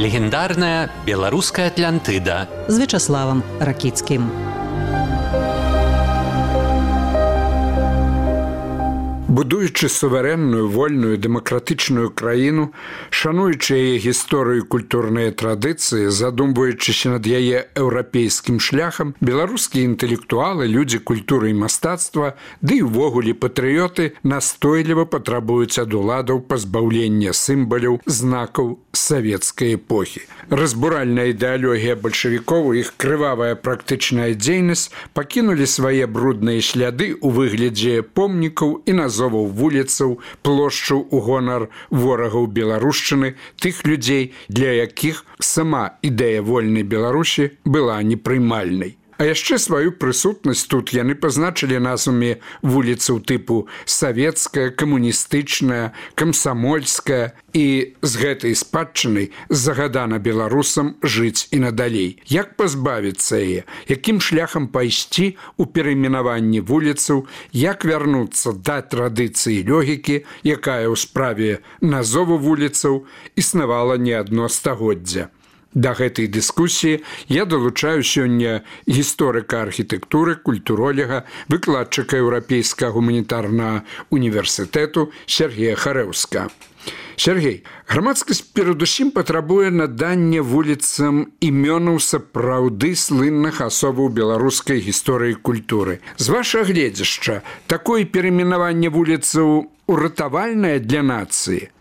Легендарная беларуская Атлантыда з Вячаславам Ракіцкім. Будуючи суверенную, вольную, дэмакратычную краіну, шануючы яе гісторыю і культурныя традыцыі, задумваючыся над яе еўрапейскім шляхам, беларускія інтэлектуалы, людзі культуры і мастацтва, ды і ўвогуле патрыёты настойліва патрабуюць ад уладаў пазбаўлення сімваляў, знакаў савецкай эпохі. Разбуральная ідэалогія бальшавікоў і іх крывавая практычная дзейнасць пакінулі свае брудныя шляды ў выглядзе помнікаў і назоваў вуліцаў, плошчаў у гонар ворагаў беларушчыны, тых людзей, для якіх сама ідэя вольнай Беларусі была непрымальнай. А яшчэ сваю прысутнасць тут яны пазначылі назвамі вуліцаў тыпу савецкая, камуністычная, камсамольская і з гэтай спадчынай загадана беларусам жыць і надалей. Як пазбавіцца яе? Якім шляхам пайсці ў перайменаванні вуліцаў? Як вярнуцца да традыцыі логікі, якая ў справе назову вуліцаў існавала не адно стагоддзя? Да гэтай дыскусіі я далучаю сёння гісторыка архітэктуры, культуролога, выкладчыка Еўрапейскага гуманітарнага універсітэту Сергея Харэўска. Сергей, грамадскасць перадусім патрабуе надання вуліцам імёнаў сапраўды слынных асобаў беларускай гісторыі і культуры. З вашага гледзяшча, такое перайменаванне вуліцаў уратавальнае для нацыі?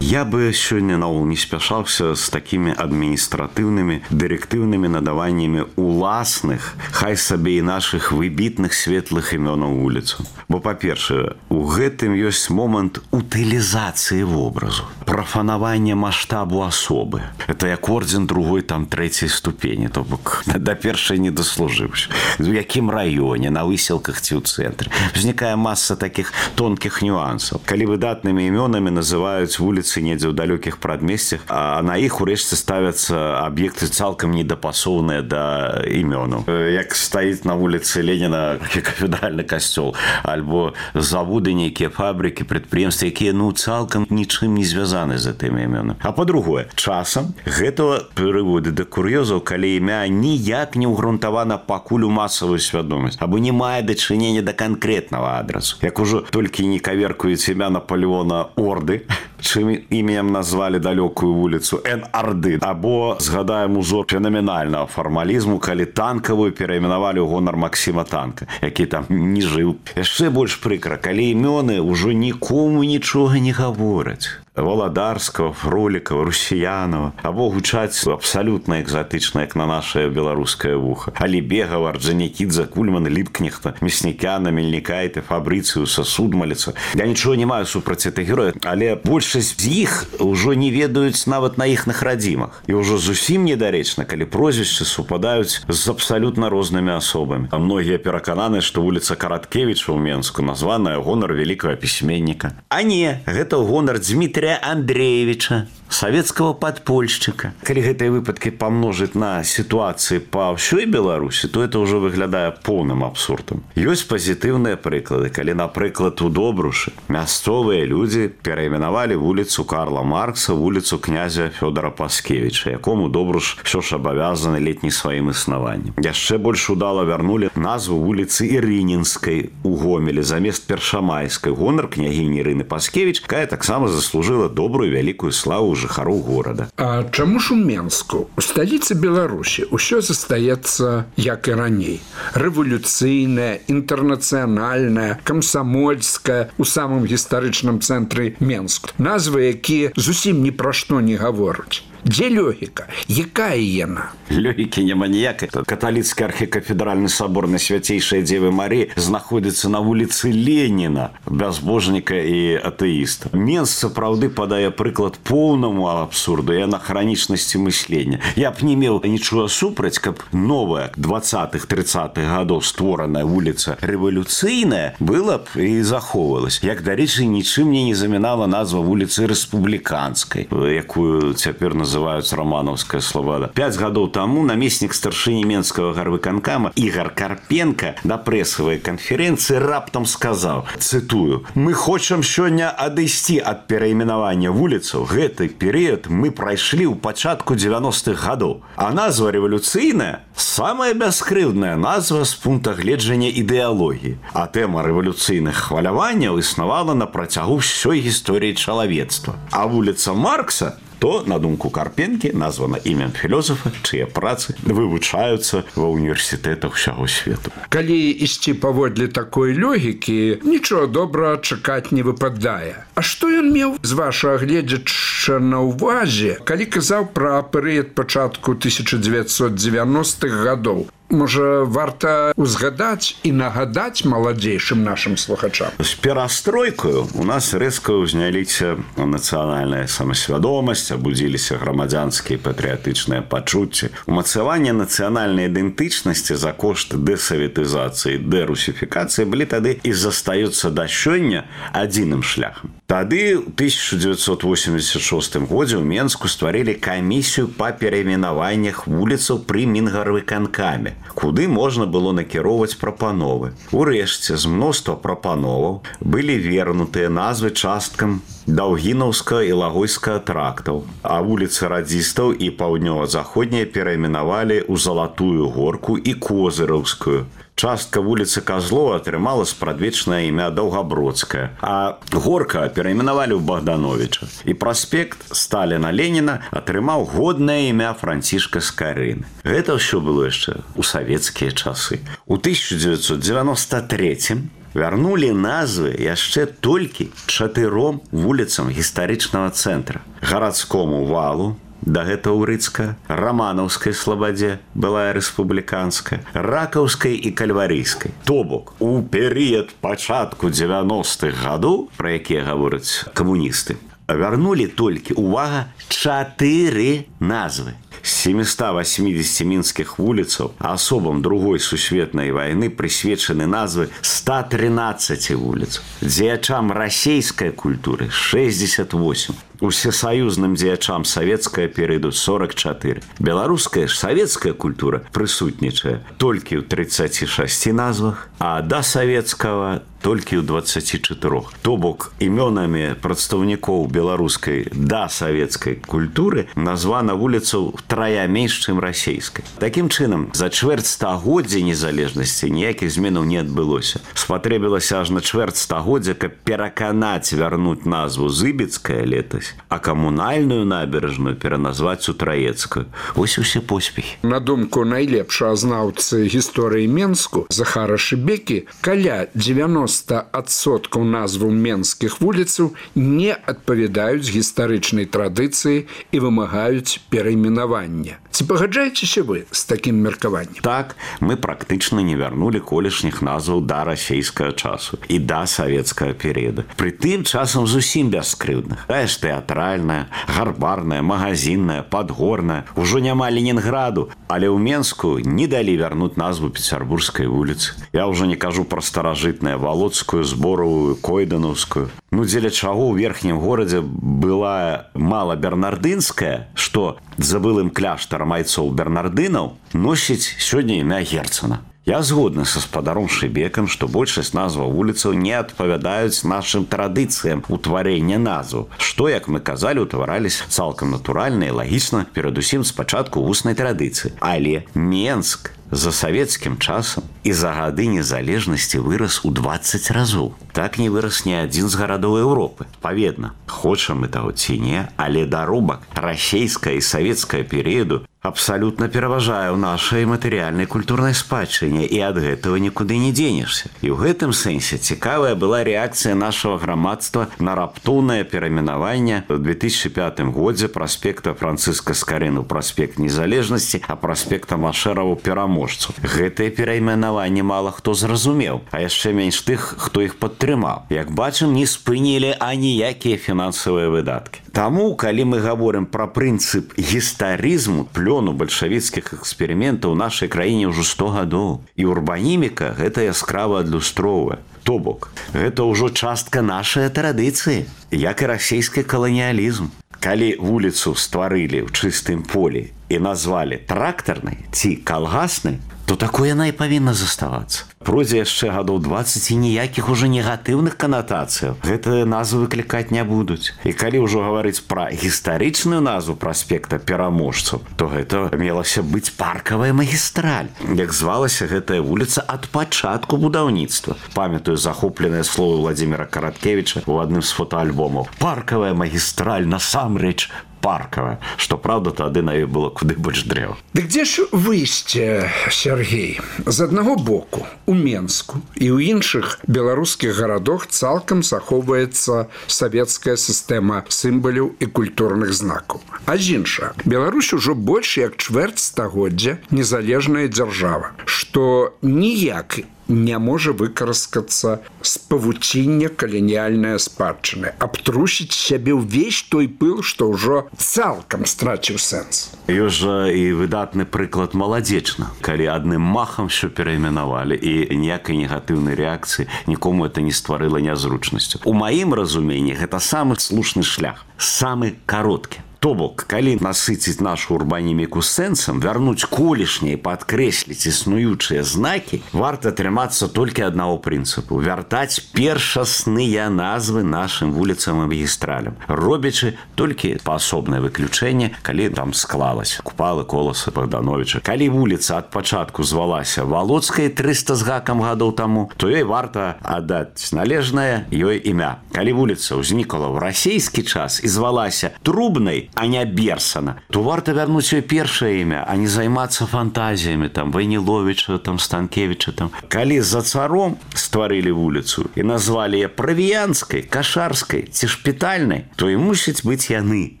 Я бы сёння наогул не спяшаўся з такімі адміністратыўнымі, дырэктыўнымі надаваннямі уласных, хай сабе і нашых выбітных светлых імёнаў вуліцаў. Бо, па-першае, у гэтым ёсць момант утылізацыі вобразу, прафанавання маштабу асобы. Это як ордзен другой, там, трэцяй ступені, то бок да першай не даслужыўся. У якім раёне, на выселках ці ў цэнтры. Узнікае маса такіх тонкіх нюансаў. Калі выдатнымі імёнамі называюць вуліцы недзе ў далёкіх прадмесцях, а на іх урэшце ставяцца аб'екты цалкам недапасоўныя да імёнаў. Як стаіць на вуліцы Леніна кафедральны касцёл, альбо заводы, нейкія фабрыкі, прадпрыемствы, якія цалкам нічым не звязаны з гэтымі імёнамі. А па-другое, часам гэта прыводзіць да кур'ёзаў, калі імя ніяк не ўгрунтавана пакуль у масавую свядомасць, або не мае дачынення да канкрэтнага адрасу. Як ужо толькі не каверкуюць імя Наполеона Орды, чым імем назвалі далёкую вуліцу Н-Арды, або згадаем узор фенаменальнага фармалізму, калі танкавую перайменавалі ў гонар Максіма Танка, які там не жыў. Яшчэ больш прыкра, калі імёны ўжо нікому нічога не гавораць. Валадарскага, Фролікава, Русіянова, або гучаць абсалютна экзатычна, як на нашае беларускае вуха. Алібегава, Арджанікідзе, Кульмана, Ліпкнехта, Мяснікяна, Мельнікайта, Фабрыцыуса, Судмаліца. Я нічога не маю супраць гэтых герояў, але большасць з іх ўжо не ведаюць нават на іхных радзімах. І ўжо зусім недарэчна, калі прозвішчы супадаюць з абсалютна рознымі асобамі. А многія перакананы, што вуліца Караткевіча ў Менску названая ў гонар вялікага пісьменніка. А не, гэта ў гонар Дмітрия Андреевича, савецкага падпольшчыка. Калі гэтыя выпадкі памножыць на сітуацыі па ўсёй Беларусі, то это ўжо выглядае поўным абсурдам. Ёсць пазітыўныя прыклады, калі, напрыклад, у Добрушы мясцовыя людзі перайменавалі вуліцу Карла Маркса, вуліцу князя Фёдора Паскевіча, якому Добруш ўсё ж абавязаны летні сваім існаваннем. Яшчэ больш удала вярнулі назву вуліцы Ірынінскай у Гомелі замест Першамайскай, гонар княгіні Ірыны Паскевіч, якая таксама заслужыла добрую вялікую славу жыхароў горада. А чаму ж у Менску, у сталіцы Беларусі, усё застаецца як і раней? Рэвалюцыйная, інтэрнацыянальная, камсамольская, у самым гістарычным цэнтры Менску. Назвы, якія зусім ні пра што не гавораць. Дзе логіка? Якая яна? Логікі няма ніякай. Каталіцкі архікафедральны сабор на свяцейшай Дзевы Марыі знаходзіцца на вуліцы Леніна, бязбожніка і атэіста. Менск сапраўды падае прыклад поўнаму абсурду і анахранічнасці мыслення. Я б не меў нічога супраць, каб новая 20-30-х гадоў створаная вуліца рэвалюцыйная была б і захоўвалась. Як, дарэчы, нічым мне не замінала назва вуліцы Рэспубліканскай, якую цяпер называюць называюць раманаўская слобода. 5 гадоў таму намеснік старшыні Менскага гарвыканкама Ігор Карпенко на прэсавай канферэнцыі раптам сказаў, цытую: «Мы хочам сёння адысці ад перайменавання вуліцаў. Гэты перыяд мы прайшлі ў пачатку 90-х гадоў. А назва рэвалюцыйная – самая бяскрыўдная назва з пункта гледжання ідэалогіі. А тэма рэвалюцыйных хваляванняў існавала на працягу ўсёй гісторыі чалавецтва. А вуліца Маркса, то, на думку Карпенкі, названа імем філёзафа, чые працы вывучаюцца ва ўніверсітэтах усяго свету». Калі ісці паводле такой логікі, нічого добрага чакаць не выпадае. А што ён меў, з вашага гледзяча, на ўвазе, калі казаў пра перыяд пачатку 1990-х гадоў? Можа, варта узгадаць і нагадаць маладзейшым нашым слухачам? З перастройкаю у нас рэзка ўзняліся нацыянальная самасвядомасць, абудзіліся грамадзянскія патрыятычныя пачуцці. Умацаванне нацыянальнай ідэнтычнасці за кошт дэсаветызацыі, дэрусіфікацыі былі тады і застаюцца да сёння адзіным шляхам. Тады ў 1986 годзе ў Менску стварылі камісію па перайменаваннях вуліцаў пры Мінгарвыканкаме, куды можна было накіроўваць прапановы. Урэшце, з мноства прапановаў былі вернутыя назвы часткам Даўгінаўскага і Лагойскага трактаў, а вуліцы радзістаў і паўднёва-заходняя перайменавалі ў Залатую горку і Козыраўскую. Частка вуліцы Казлова атрымала спрадвечнае імя Даўгабродская, а горка перайменавалі ў Богдановича. І праспект Сталіна-Леніна атрымаў годнае імя Францішка Скарыны. Гэта ўсё было яшчэ ў савецкія часы. У 1993 вярнулі назвы яшчэ толькі 4 вуліцам гістарычнага цэнтра: гарадскому валу, дагэтуль Урыцкая, Раманаўскай слабадзе, былая рэспубліканская, Ракаўскай і Кальварыйскай. То бок, у перыяд пачатку 90-х гадоў, пра якія гавораць камуністы, вярнулі толькі, увага, 4 назвы. З 780 мінскіх вуліцаў асобам Другой сусветнай вайны прысвечаны назвы 113 вуліц. Дзеячам расейскай культуры 68. Усесаюзным дзеячам савецкая перыяду 44. Беларуская ж савецкая культура прысутнічае толькі ў 36 назвах, а да савецкага толькі ў 24. То бок, імёнамі прадстаўнікоў беларускай да савецкай культуры названа вуліцаў трая менш, чым расейскай. Такім чынам, за чвэрць стагоддзя незалежнасці ніякіх зменаў не адбылося. Спатрэбілася аж на чвэрць стагоддзя, каб пераканаць вярнуць назву Зыбецкая летась, а камунальную набережную пераназваць у Траецкую. Вось усе поспехі. На думку найлепшага знаўцы гісторыі Менску Захара Шыбекі, каля 90% назваў менскіх вуліцаў не адпавядаюць гістарычнай традыцыі і вымагаюць перайменавання. Ці пагаджаецеся вы з такім меркаваннем? Так, мы практычна не вярнулі колішніх назваў да расейскага часу і да савецкага перыяда. Прытым часам зусім бяскрыўдных. Тая ж тэатральная, гарбарная, магазинная, падгорная, ужо няма Ленінграду, але ў Менску не далі вярнуць назву Пецярбургскай вуліцы. Я ўжо не кажу пра старажытнае Володскую, Зборовую, Койданаўскую. Ну, дзеля чаго ў верхнім горадзе была мала Бернардынская, што за былым кляштарам айцоў бернардынаў носіць сёння імя Герцена. Я згодны са спадаром Шыбекам, што большасць назваў вуліцаў не адпавядаюць нашым традыцыям утварэння назваў, што, як мы казалі, утвараліся цалкам натуральна і лагічна, перадусім спачатку вуснай традыцыі. Але Менск за савецкім часам і за гады незалежнасці вырас у 20 разоў. Так не вырас ні адзін з гарадоў Еўропы. Паведна, хочам мы таго ці не, але даробак расейская і савецкая перыяду абсалютна пераважае ў нашай матэрыяльнай культурнай спадчыне, і ад гэтага нікуды не дзенешся. І ў гэтым сэнсе цікавая была рэакцыя нашага грамадства на раптоўнае перайменаванне ў 2005 годзе праспекта Францыска Скарыны ў праспект Незалежнасці, а праспекта Машэрава пераможцу. Гэтае перайменаванне мала хто зразумеў, а яшчэ менш тых, хто іх падтрымаў. Як бачым, не спынілі аніякія фінансавыя выдаткі. Таму, калі мы гаворым пра прынцып гістарызму, плёну бальшавіцкіх эксперыментаў у нашай краіне ўжо 100 гадоў. І урбаніміка гэта яскрава адлюстроўвае. То бок, гэта ўжо частка нашай традыцыі, як і расійскі каланіялізм. Калі вуліцу стварылі ў чыстым полі і назвалі трактарнай ці калгаснай, то такое яна і павінна заставацца. Пройдзе яшчэ гадоў 20 і ніякіх ужо негатыўных канатацыяў гэтыя назвы выклікаць не будуць. І калі ўжо гаварыць пра гістарычную назву праспекта пераможцаў, то гэта мелася быць паркавая магістраль. Як звалася гэтая вуліца ад пачатку будаўніцтва. Памятаю захопленыя словы Владзіміра Караткевіча ў адным з фотоальбомаў. Паркавая магістраль насамрэч паркавая, што, праўда, тады на ёй было куды больш дрэў. Дык дзе ж выйсце, Сергей? З аднаго боку, у Менску і ў іншых беларускіх гарадах цалкам захоўваецца савецкая сістэма сімваляў і культурных знакаў. А з іншага, Беларусь ужо больш як чвэрць стагоддзя незалежная дзяржава, што ніяк не можа выкарыскацца з павуціння каланіяльнай спадчыны, абтрусіць сябе ўвесь той пыл, што ўжо цалкам страціў сэнс. Ёсць жа і выдатны прыклад Маладзечна, калі адным махам ўсё перайменавалі і ніякай негатыўнай рэакцыі нікому это не стварыла нязручнасцю. У маім разуменні гэта самы слушны шлях, самы кароткі. То бок, калі насыціць нашу урбаніміку сэнсам, вярнуць колішнія і падкрэсліць існуючыя знакі, варта трымацца толькі аднаго прынцыпу – вяртаць першасныя назвы нашым вуліцам і магістралям, робячы толькі паасобнае выключэнне, калі там склалася Купалы, Коласа, Богдановича. Калі вуліца ад пачатку звалася Валоцкай 300 з гакам гадоў таму, то ёй варта аддаць належнае ёй імя. Калі вуліца ўзнікла ў расійскі час і звалася Трубнай, а не Берсана, то варта вярнуць ёй першае імя, а не займацца фантазіямі там Вайніловіча, там Станкевіча там. Калі за царом стварылі вуліцу і назвалі яе Правіянскай, Кашарскай ці Шпітальнай, то і мусіць быць яны,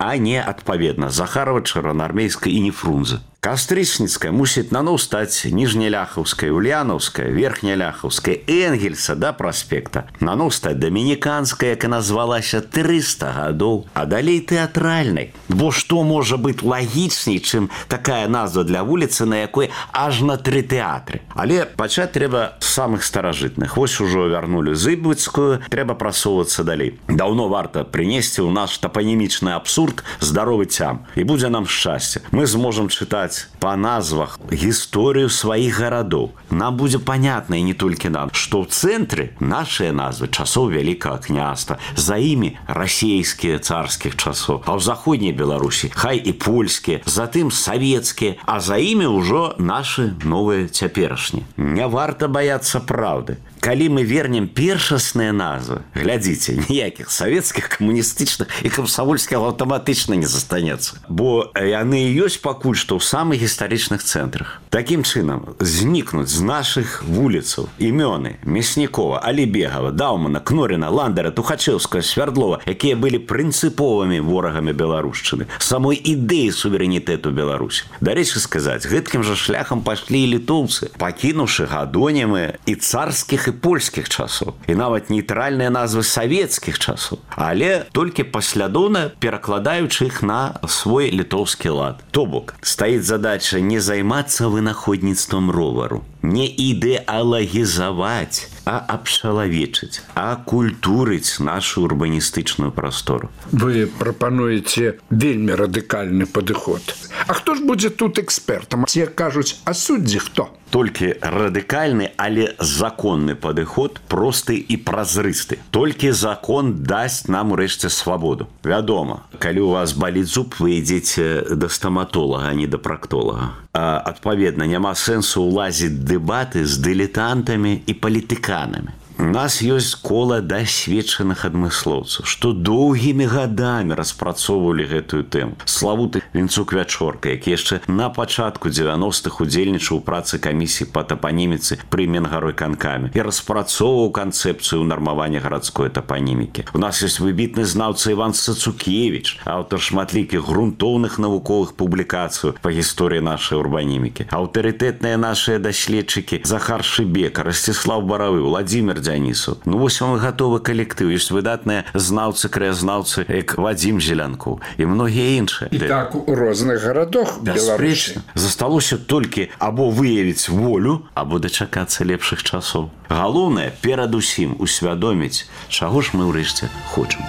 а не адпаведна Захарова, Чырвонаармейскай і не Фрунзе. Кастрычніцкая мусіць наноў стаць Ніжняляхаўская, Ульянаўская, Верхняляхаўская, Энгельса да праспекта. Наноў стаць Дамініканская, яка назвалася 300 гадоў, а далей тэатральнай. Бо што можа быць лагічней, чым такая назва для вуліцы, на якой аж на 3 тэатры. Але пачаць трэба з самых старажытных. Вось ужо вярнулі Зыбуцкую, трэба прасоўвацца далей. Даўно варта прынесці ў наш тапанімічны абсурд здаровы цям. І будзе нам шчасце. Мы зможам чытаць па назвах гісторыю сваіх гарадоў. Нам будзе панятна, і не толькі нам, што ў цэнтры нашыя назвы часоў Вялікага княства, за імі расійскія царскіх часоў, а ў заходняй Беларусі хай і польскія, затым савецкія, а за імі ўжо нашы новыя цяперашнія. Не варта баяцца праўды. Калі мы вернем першасныя назвы, глядзіце, ніякіх савецкіх, камуністычных і камсамольскіх аўтаматычна не застанецца. Бо яны ёсць пакуль што ў самых гістарычных цэнтрах. Такім чынам, знікнуць з нашых вуліцаў імёны Мяснікова, Алібегава, Даўмана, Кноріна, Ландера, Тухачэўскага, Свярдлова, якія былі прынцыповымі ворагамі беларушчыны, самой ідэі суверэнітэту Беларусі. Дарэчы сказаць, гэткім жа шляхам пайшлі і літоўцы, пакінуўшы гадонімы і царскіх і польскіх часоў, і нават нейтральныя назвы савецкіх часоў, але толькі паслядоўна перакладаючы іх на свой літоўскі лад. То бок, стаіць задача не займацца вынаходніцтвам ровару, не ідэалагізаваць, а абчалавечыць, а культурыць нашу урбаністычную прастору. Вы прапануеце вельмі радыкальны падыход. А хто ж будзе тут экспертам? Ці кажуць, а суддзі хто? Толькі радыкальны, але законны падыход, просты і празрысты. Толькі закон дасць нам урэшце свабоду. Вядома, калі у вас баліць зуб, вы ідзеце да стаматолага, а не да практолага. Адпаведна, няма сэнсу ўлазіць дэбаты з дылетантамі і палітыканамі. У нас ёсць кола дасведчаных адмыслоўцаў, што доўгімі гадамі распрацоўвалі гэтую тэму. Славуты Вінцук-Вячорка, які яшчэ на пачатку 90-х удзельнічаў у працы камісіі па тапаніміцы пры Менгаройканкаме і распрацоўваў канцэпцыю нармавання гарадской тапанімікі. У нас ёсць выбітны знаўца Іван Цацукевіч, аўтар шматлікіх грунтоўных навуковых публікацый па гісторыі нашай урбанімікі. Аўтарытэтныя нашыя даследчыкі Захар Шыбека, Расціслаў Баравы, Владзімір Дзянісу. Ну вось вам і гатовы калектыў. Ёсць выдатныя знаўцы, краязнаўцы, як Вадзім Зелянкоў і многія іншыя. І так у розных гарадах Беларусі. Засталося толькі або выявіць волю, або дачакацца лепшых часоў. Галоўнае, перадусім усвядоміць, чаго ж мы ўрэшце хочам.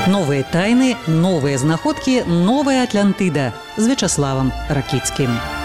Новыя тайны, новыя знаходкі, новая Атлантыда з Вячаславам Ракіцкім.